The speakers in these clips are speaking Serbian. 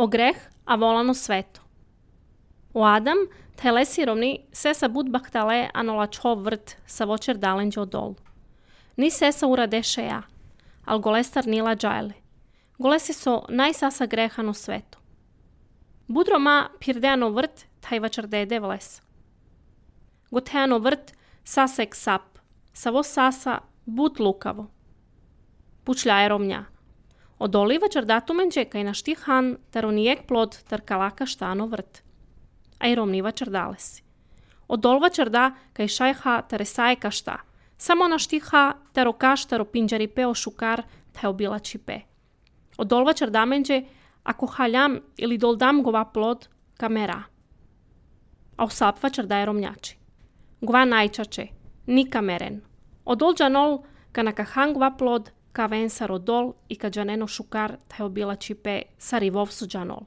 O greh a volano sveto. O Adam, tele siromni, sesa bud bahtale anola čo vrt sa vočer dalenđe odol. Ni sesa uradešeja, al golestar nila džajle. Golesi so najsasa grehano sveto. Budro ma pirdeano vrt, taj vačer dede vles. Goteano vrt, sasek sap, savo sasa bud lukavo. Pučljaje romnja. Odoli vačer datumenđe kaj na štihan, taronijek plod tar kalaka štano vrt. A i romni vačer dalesi. Odol vačer da kaj šajha taresaje kašta. Samo na štiha taro kaš taro pinđari peo šukar taj obilači pe. Odol vačer damenđe ako haljam ili doldam gova plod kamera. A osap vačer daje romnjači. Gova najčače, ni kameren. Odol džanol ka nakahan gova plod ka ven sa rodol i ka džaneno šukar taj obilači pe sa rivov su džanol.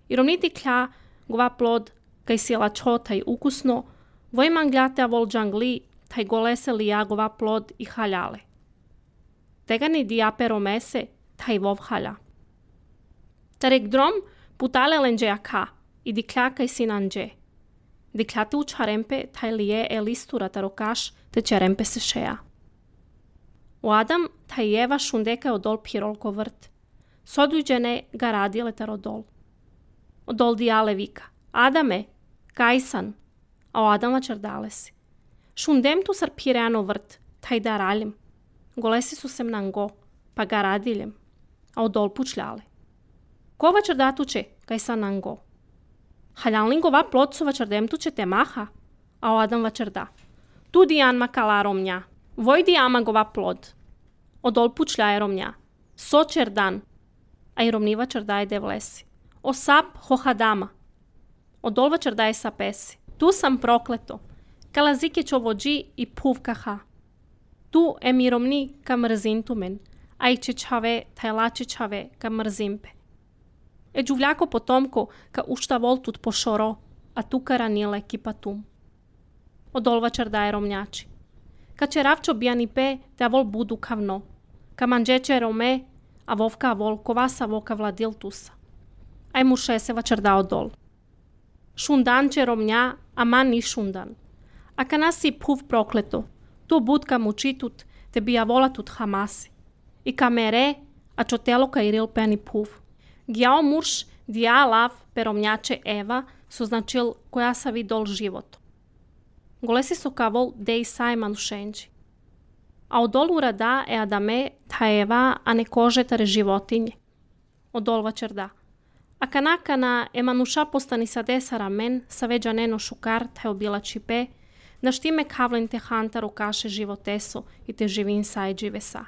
I romniti klja gova plod kaj sjela čo taj ukusno, vojman gljate avol džangli taj golese li ja gova plod i haljale. Tega ni diape romese taj vov halja. Tarek drom putale lenđe aka i diklja kaj sinanđe. Dikljate u čarempe taj lije elistura tarokaš te čarempe se šeja. O Adam taj jeva šundeka odol pirolko vrt. Soduđene ga radile tarodol. Odol dijale vika. Adame, kajsan, a o Adama čerdalesi. Šundem tu sar pireano vrt, taj da raljem. Golesi su sem nango, pa ga radiljem, a odol pučljale. Ko vačer datuče, kaj sa nango? Haljalnin gova plod su vačer dem tuče te maha, a o Adam vačer da. Tu dijan makala romnja, voj dijama gova plod. Odol pučljaje romnja, sočer dan, a i romni vačer daje de vlesi. O sap hohadama. Odol vačer daje sa pesi. Tu sam prokleto. Kalazike čo vođi i puvkaha. Tu emiromni ka mrzintumen, a i čečave tajlačečave ka mrzimpe. E džuvljako potomko ka ušta voltut pošoro, a tu karanile kipatum. Odol vačer daje romnjači. Ka čeravčo bijani pe, te avol budu kavno. Ka manđeče rome, a vovka avol kovasa voka vladil tusa. Aj mu šese vačer da odol. Šundan će romnja, a man ni šundan. A ka nasi puv prokleto, tu budka mučitut, te bija volatut hamasi. I ka mere, a čo telo ka iril peni puv. Gjao murš dija lav peromnjače Eva, su značil koja sa vidol život. Golesi so kavol dej sajman šenđi. A odol urada e Adame ta Eva, a ne kože tare životinje. Odol vačer da. A kanakana emanuša postani sa desara men, sa veđa neno šukar, taj obilači pe, da štime kavlen te hantaru kaše životeso i te živin sajđi vesa.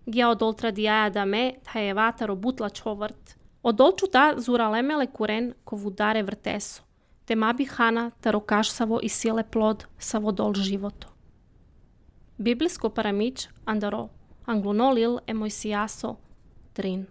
Gija odol tradijaja da me, taj evataro butla čovrt. Odol čuta zura lemele kuren ko vudare vrteso, te mabi hana taro kaš savo i sile plod savo dol životo. Biblijsko paramić andaro, anglunolil emojsijaso, trin.